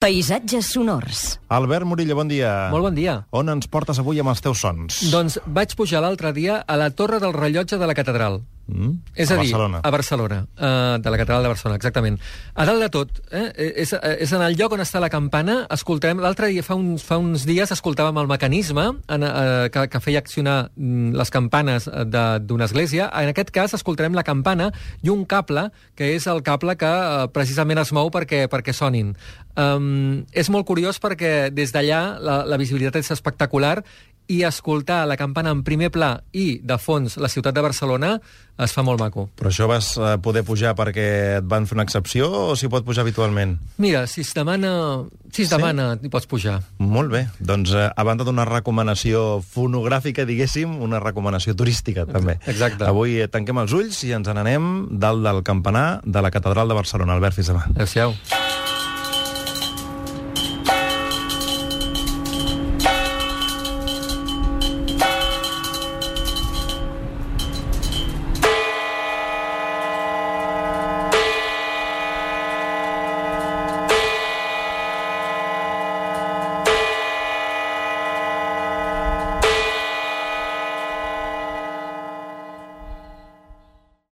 Paisatges sonors. Albert Morilla, bon dia. Molt bon dia. On ens portes avui amb els teus sons? Doncs vaig pujar l'altre dia a la Torre del Rellotge de la Catedral. És a dir, Barcelona. a Barcelona, de la Catedral de Barcelona, exactament. A dalt de tot, és en el lloc on està la campana. Escoltem, l'altre dia, fa uns dies, escoltàvem el mecanisme que feia accionar les campanes d'una església. En aquest cas, escoltarem la campana i un cable, que és el cable que precisament es mou perquè sonin. És molt curiós perquè des d'allà la visibilitat és espectacular i escoltar la campana en primer pla i, de fons, la ciutat de Barcelona es fa molt maco. Però això vas poder pujar perquè et van fer una excepció o s'hi pot pujar habitualment? Mira, si es demana, hi pots pujar. Molt bé. Doncs a banda d'una recomanació fonogràfica, diguéssim, una recomanació turística, també. Exacte. Avui tanquem els ulls i ens n'anem dalt del campanar de la Catedral de Barcelona. Albert, fins demà. Adéu-siau.